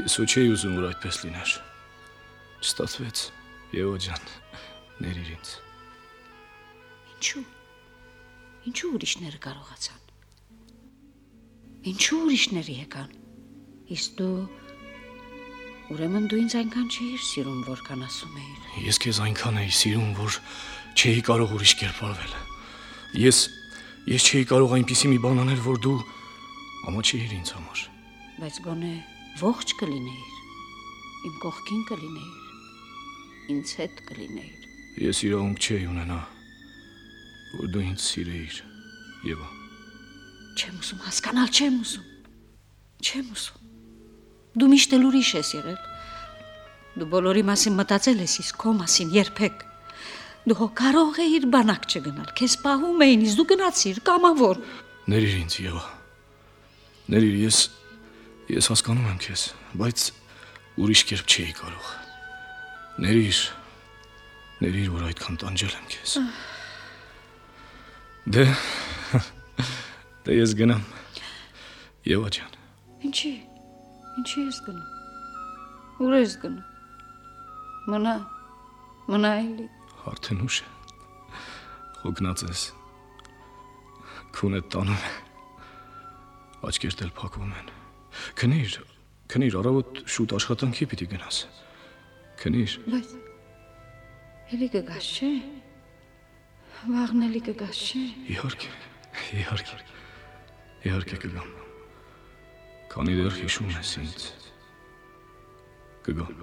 Ես ու չէի ուզում որ այդպես լիներ։ Չստացվեց, Եվա ջան, ներիր ինձ։ Ինչու՞։ Ինչու ուրիշները կարողացան։ Ինչու ուրիշները եկան։ Իսկ դու Ուրեմն դու ինձ այնքան չէիր սիրում, որքան ասում էիր։ Ես քեզ այնքան էի սիրում, որ չէի կարող ուրիշ կերպարվել։ Ես ես չէի կարող այնպիսի մի բան անել, որ դու ամաչեիր ինձ համար։ Բայց գոնե ողջ կլինեիր, իմ կողքին կլինեիր, ինձ հետ կլինեիր։ Ես իրավունք չէի ունենա, որ դու ինձ սիրեիր, Եվա։ Չեմ ուզում հասկանալ, չեմ ուզում։ Չեմ ուզում։ Դու միշտ էլ ուրիշ ես եղել։ Դու բոլորի մասին մտածել ես, իսկ քո մասին երբեք։ Դու հո կարող էիր բանակ չգնալ, քեզ պահում էին, իսկ դու գնացիր կամավոր։ Ներիր ինձ, Եվա։ Ներիր, ես ես հասկանում եմ քեզ, բայց ուրիշ կերպ չէի կարող։ Ներիր, ներիր, որ այդքան տանջել եմ քեզ։ Դե դե ես գնամ։ Եվա ջան։ Ինչի՞։ Ինչի ես գնում։ Ուր ես գնում։ Մնա, մնա էլի։ Արդեն ուշ է։ Հոգնած ես։ Քունդ տանում է։ Աչքերդ էլ փակվում են։ Քնիր, քնիր, առավոտ շուտ աշխատանքի պիտի գնաս։ Քնիր։ Բայց էլի կգաս, չէ։ Վաղն էլի կգաս, չէ։ Իհարկե, իհարկե։ Իհարկե կգամ։ Քանի դեռ հիշում ես ինձ, կգամ։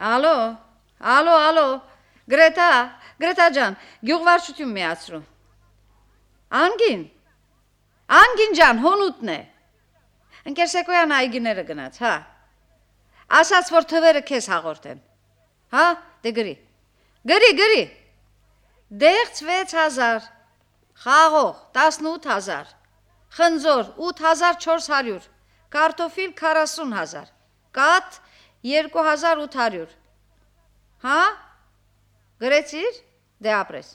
Ալո, ալո, ալո, Գրետա, Գրետա ջան, գյուղվարչություն միացրու։ Անգին, Անգին ջան, հոնուտն է։ Ընկեր Սեկոյան այգիները գնաց, հա։ Ասաց, որ թվերը քեզ հաղորդեն, հա, դե գրի, գրի, գրի, դեղց վեց հազար, խաղող տասնութ հազար, խնձոր ութ հազար չորս հարյուր, կարտոֆիլ քառասուն հազար, կաթ երկու հազար ութ հարյուր, հա, գրեցիր, դե ապրես։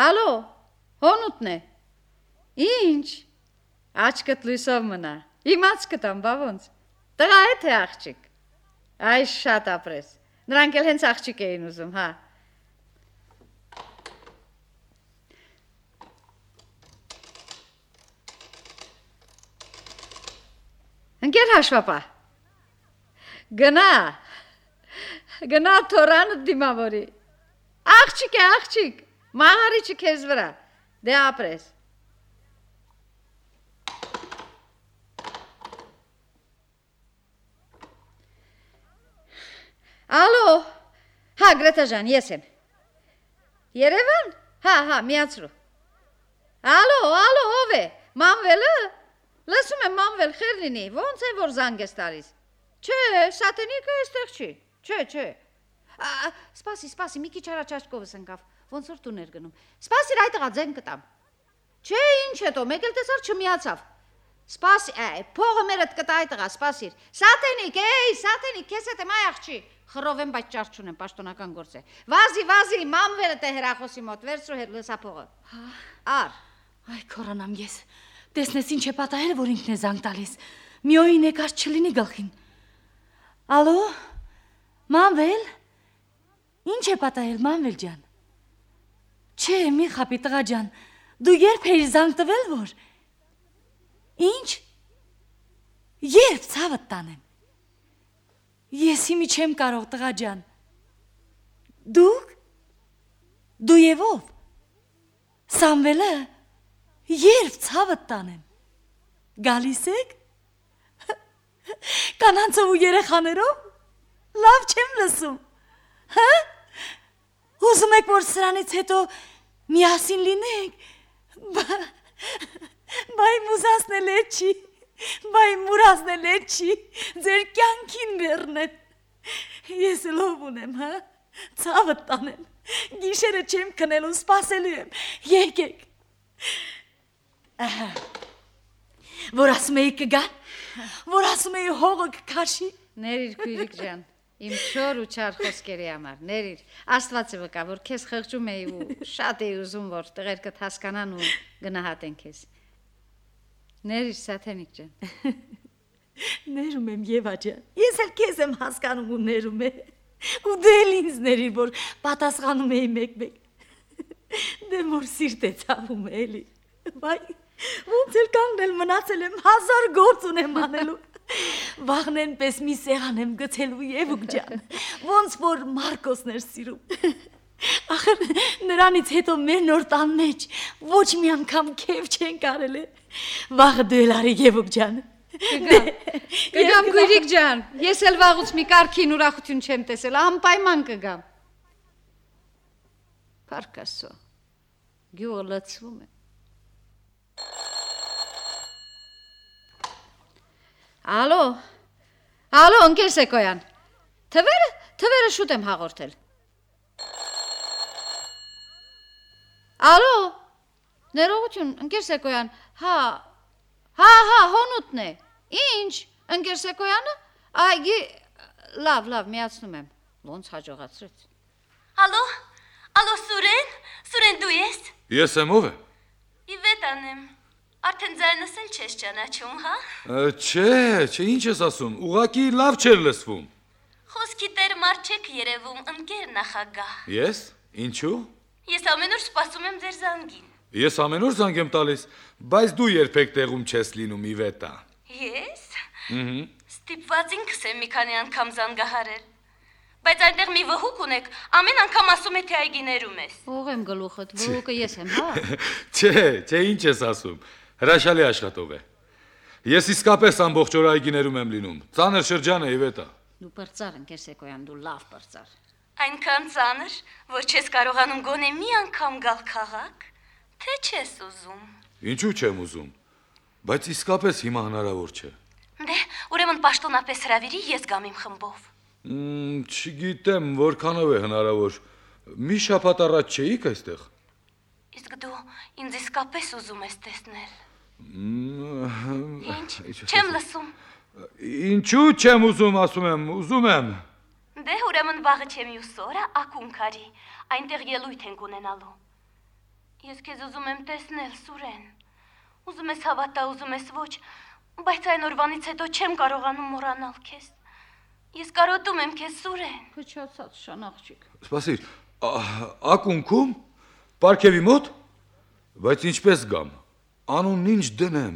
Ալո, հոնուտն է։ Ինչ, աչքդ լույսով մնա, իմ աչքդ ամ, բա ոնց, տղա է թե աղջիկ, այ շատ ապրես, նրանք էլ հենց աղջիկ էին ուզում, հա։ Ընկեր հաշվապա, գնա, գնա թորանդ դիմավորի, աղջիկ է աղջիկ, մաղարիչը քեզ վրա, դե ապրես։ Ալո, հա Գրետա ջան, ես եմ։ Երևան, հա, հա, միացրու։ Ալո, ալո, ով է, Մանվելը, լսում եմ Մանվել խեր լինի, ոնց է որ զանգ ես տալիս։ Չէ, սատենիկը էստեղ չի, չէ, չէ։ Սպասի, սպասի, մի քիչ առաջ աչքովս ընկավ, ոնց որ տուներ գնում։ Սպասիր, այդ տղա ձեն կտամ։ Չէ, ինչ հետո, մեկ էլ տեսար չմիացավ։ Սպասի, այ, փողը մերդ կտա այդ տղա, սպասիր։ Սատենիկ, էй, սատենիկ, քեզ հետ եմ այ աղջի։ Խռովեմ, բայց ճար չունեմ, պաշտոնական գործ է։ Վազի, վազի, մամվերը թե հերախոսի մոտ, վերցրու հետ լսա փողը։ Ար։ Այ քորանամ ես։ Տեսնես ինչ է պատահել, որ ինքն է զանգ տալիս։ Մի օր եկած չլինի գլխին։ Ալո։ Մամվել։ Ինչ է պատահել, Մամվել ջան։ Չէ, մի խապի տղա ջան։ Դու երբ էիր զանգ տվել, որ։ Ինչ։ Երբ ցավդ տանեմ։ Ես հիմի չեմ կարող տղա ջան։ Դուք։ Դու եւ ով։ Սամվելը։ Երբ ցավդ տանեմ։ Գալիս եք։ Կանանցով ու երեխաներով։ Լավ չեմ լսում։ Հա։ Ուզում եք որ սրանից հետո միասին լինենք։ Բայ մուզասնել է չի։ Բայ մուրազնել է չի։ Ձեր կյանքին բեռնեն։ Ես լով ունեմ, հա։ Ցավդ տանեմ։ Գիշերը չեմ քնելու, սպասելու եմ։ Եկեք։ Ահա։ Որ ասում էի կգան։ Որ ասում էի հողը կքաշի։ Ներիր քույրիկ ջան, իմ չոր ու չար խոսքերի համար, ներիր։ Աստվածը վկա, որ քեզ խղճում էի ու շատ էի ուզում, որ տղերքդ հասկանան ու գնահատեն քեզ։ Ներիր Սաթենիկ ջան։ Ներում եմ Եվա ջան։ Ես էլ քեզ եմ հասկանում ու ներում եմ։ Ու դե ինձ ների, որ պատասխանում էի մեկ-մեկ։ Դե մոր սիրտ է ցավում էլի։ Բայ ոնց էլ կանգնել մնացել եմ հազար գործ ունեմ անելու։ Վաղնեն պես մի սեղան եմ գցելու Եվուկ ջան։ Ոնց որ Մարկոսն էր սիրում։ Ախր նրանից հետո մեր նոր տան մեջ ոչ մի անգամ քեֆ չեն կարել։ Վաղը դու էլ արի Եվուկ ջան։ Կգամ, կգամ քույրիկ ջան, ես էլ վաղուց մի կարգին ուրախություն չեմ տեսել, անպայման կգամ։ Փառք Աստծո, գյուղը լցվում է։ Ալո, ալո, ընկեր Սեկոյան, թվերը, թվերը շուտ եմ հաղորդել։ Ալո, ներողություն, ընկեր Սեկոյան, հա, հա, հա, հոնուտն է, ինչ, ընկեր Սեկոյանը, այգի, լավ, լավ, միացնում եմ, ոնց հաջողացրեց։ Ալո, ալո Սուրեն, Սուրեն դու ես։ Ես եմ ով է։ Իվետան եմ, արդեն ձայնս էլ չես ճանաչում, հա։ Չէ, չէ, ինչ ես ասում, ուղղակի լավ չէր լսվում։ Խոսքի տեր մարդ չեք երևում, ընկեր նախագահ։ Ես, ինչու։ Ես ամեն օր սպասում եմ ձեր զանգին։ Ես ամեն օր զանգ եմ տալիս, բայց դու երբեք տեղում չես լինում Իվետա։ Ես։ Ահա։ Ստիպված ինքս եմ մի քանի անգամ զանգահարել։ Բայց այնտեղ մի վհուկ ունեք, ամեն անգամ ասում է թե այգիներում ես։ Ող եմ գլուխդ, վհուկը ես եմ, հա։ Չէ, չէ, ինչ ես ասում։ Հրաշալի աշխատող է։ Ես իսկապես ամբողջ օր այգիներում եմ լինում։ Ծանր շրջան է Իվետա։ Դու պրծար ընկեր Սեկոյան, դու լավ պրծար։ Այնքան ծանր, որ չես կարողանում գոնե մի անգամ գալ քաղաք, թե չես ուզում։ Ինչու չեմ ուզում, բայց իսկապես հիմա հնարավոր չէ։ Դե, ուրեմն պաշտոնապես հրավիրի, ես գամ իմ խմբով։ Չգիտեմ, որքանով է հնարավոր։ Մի շաբաթ առաջ չէիք այստեղ։ Իսկ դու ինձ իսկապես ուզում ես տեսնել։ Ինչ, չեմ լսում։ Ինչու չեմ ուզում, ասում եմ, ուզում եմ։ Դե, ուրեմն վաղը չեմ յուս օրը ակունք արի, այնտեղ ելույթ ենք ունենալու։ Ես քեզ ուզում եմ տեսնել, Սուրեն։ Ուզում ես հավատա, ուզում ես ոչ, բայց այն օրվանից հետո չեմ կարողանում մոռանալ քեզ։ Ես կարոտում եմ քեզ, Սուրեն։ Փչացած շանաղջիկ։ Սպասիր, ակունքում, պարքևի մոտ, բայց ինչպես գամ, անունն ինչ դնեմ։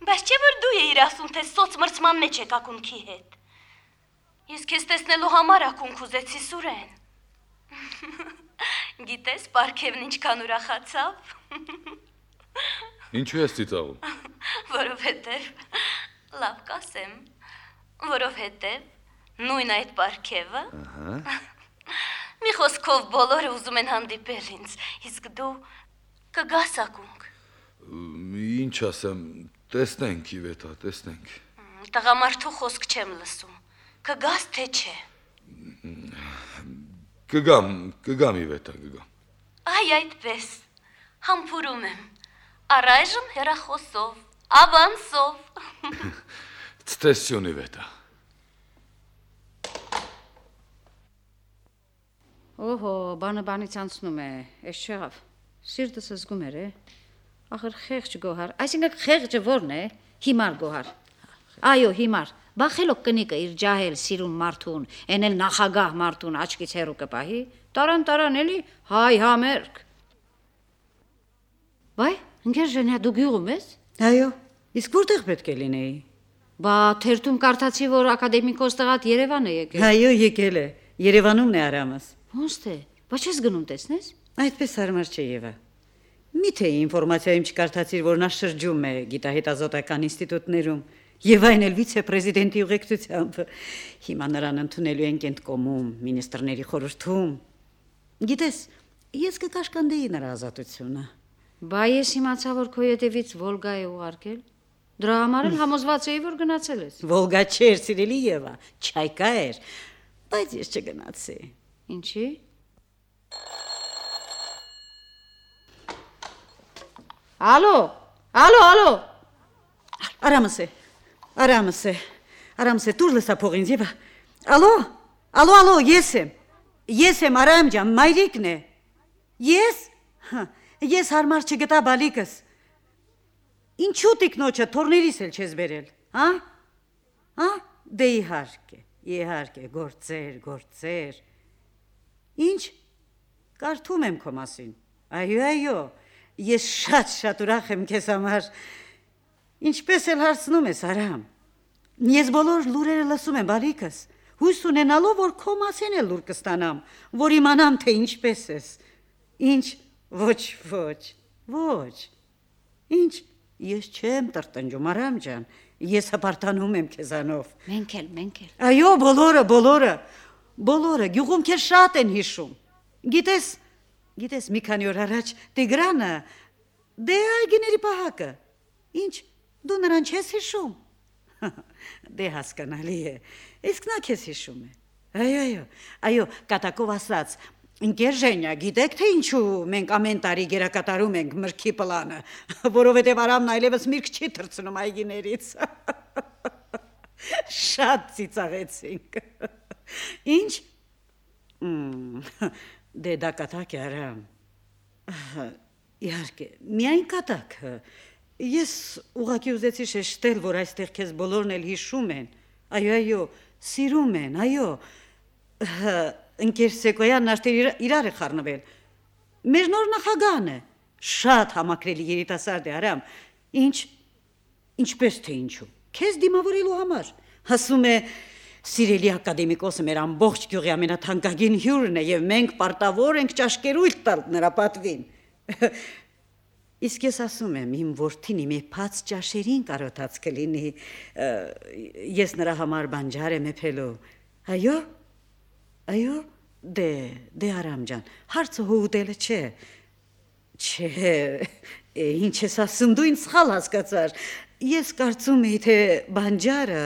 Բայց չէ որ դու էիր ասում, թե սոց մրցման մեջ եք ակունքի հետ։ Ես քեզ տեսնելու համար ակունք ուզեցի, Սուրեն։ Գիտես, պարքևն ինչքան ուրախացավ։ Ինչու ես ծիծաղում։ Որովհետև, լավ կասեմ, որովհետև նույն այդ պարքևը։ Մի խոսքով բոլորը ուզում են հանդիպել ինձ, իսկ դու կգաս ակունք։ Ինչ ասեմ, տեսնենք Իվետա, տեսնենք։ Տղամարդու խոսք չեմ լսում։ Կգաս թե չէ։ Կգամ, կգամ Իվետա, կգամ։ Այ այդպես, համբուրում եմ, առայժմ հեռախոսով, Ավանսով։ Ցտեսյունի վետա։ Օհո, բանը բանից անցնում է, էս չեղավ։ Սիրտս զգում էր, է։ Ախր խեղճ գոհար, այսինքն խեղճը ո՞րն է։ Հիմար գոհար։ Այո, հիմար։ Բախելով կնիկը իր ջահել սիրուն մարդուն, էնել նախագահ մարդուն աչքից հեռու կպահի, տարան տարան էլի հայ համերգ։ Բայ, ընկեր Ժենյա, դու գյուղում ես։ Այո, իսկ որտեղ պետք է լինեի։ Բա թերթում կարդացի, որ ակադեմիկոս տղատ Երևան է եկել։ Այո, եկել է։ Երևանումն է Արամս։ Ոնց թե, բա չես գնում տեսնես։ Այդպես հարմար չէ Եվա։ Միթե ինֆորմացիայում չկարդացիր, որ նա շրջում է գիտահետազոտական ինստիտուտներում եւ այն էլ վիցե-պրեզիդենտի ուղեկցությամբ։ Հիմա նրան ընդունելու են կենտկոմում, մինիստրների խորհրդում։ Գիտես, ես կկաշկանդեի նրա ազատությունը։ Բա ես իմացա, որ քո ետևից Վոլգա է ուղարկել։ Դրա համար էլ համոզված էի, որ գնացել ես։ Վոլգա չէր, սիրելի Եվա, Չայկա էր, բայց ես չգնացի։ Ինչի՞։ Ալո, ալո, ալո։ Արամս է, Արամս է, Արամս է, դուր լսա փողին, Եվա։ Ալո, ալո, ալո, ես եմ, ես եմ Արամ ջան, մայրիկն է։ Ես, ես հարմար չգտա բալիկս։ Ինչու տիկնոջը թորներիս էլ չես բերել, հա? Հա? Դե իհարկե, իհարկե, գործեր, գործեր։ Ինչ, կարդում եմ քո մասին։ Այո, այո, ես շատ-շատ ուրախ եմ քեզ համար։ Ինչպես էլ հարցնում ես, Արամ։ Ես բոլոր լուրերը լսում եմ, բալիկս, հույս ունենալով, որ քո մասին էլ լուր կստանամ, որ իմանամ, թե ինչպես ես։ Ինչ, ոչ, ոչ, ոչ։ Ինչ, ես չեմ տրտնջում, Արամ ջան, ես հպարտանում եմ քեզանով։ Մենք էլ, մենք էլ։ Այո, բոլորը, բոլորը, բոլորը, գյուղում քեզ շատ են հիշում։ Գիտես, գիտես, մի քանի օր առաջ Տիգրանը, դե այգիների պահակը։ Ինչ, դու նրան չես հիշում։ Դե հասկանալի է, իսկ նա քեզ հիշում է։ Այո, այո, այո, կատակով ասած, ընկեր Ժենյա, գիտեք թե ինչու մենք ամեն տարի գերակատարում ենք մրգի պլանը, որովհետև Արամն այլևս միրգ չի թռցնում այգիներից։ Շատ ծիծաղեցինք։ Ինչ։ Դե դա կատակ է, Արամ։ Իհարկե, միայն կատակ։ Ես ուղղակի ուզեցի շեշտել, որ այստեղ քեզ բոլորն էլ հիշում են։ Այո, այո, սիրում են, այո։ Ընկեր Սեկոյանն արդեն իրար է խառնվել։ Մեր նոր նախագահն է։ Շատ համակրելի երիտասարդ է, Արամ։ Ինչ, ինչպես թե ինչու։ Քեզ դիմավորելու համար։ Ասում է, սիրելի ակադեմիկոսը մեր ամբողջ գյուղի ամենաթանկագին հյուրն է եւ մենք պարտավոր ենք ճաշկերույթ տալ նրա պատվին։ Իսկ ես ասում եմ, իմ որդին իմ եփած ճաշերին կարոտած կլինի, ես նրա համար բանջար եմ եփելու։ Այո, այո, դե, դե Արամ ջան, հարցը հուհուտելը չէ։ Չէ, ինչ ես ասում, դու ինձ սխալ հասկացար։ Ես կարծում էի, թե բանջարը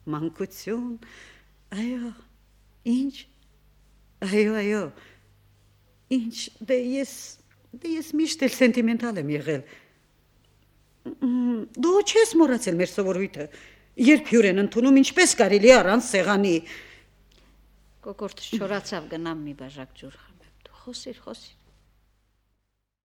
մանկություն, այո, ինչ, այո, այո, ինչ, դե ես, դե ես միշտ էլ սենտիմենտալ եմ եղել։ Դու չես մոռացել մեր սովորույթը, երբ հյուր են ընդունում, ինչպես կարելի առանց սեղանի։ Կոկորտս չորացավ, գնամ մի բաժակ ջուր խմեմ, դու խոսիր, խոսիր։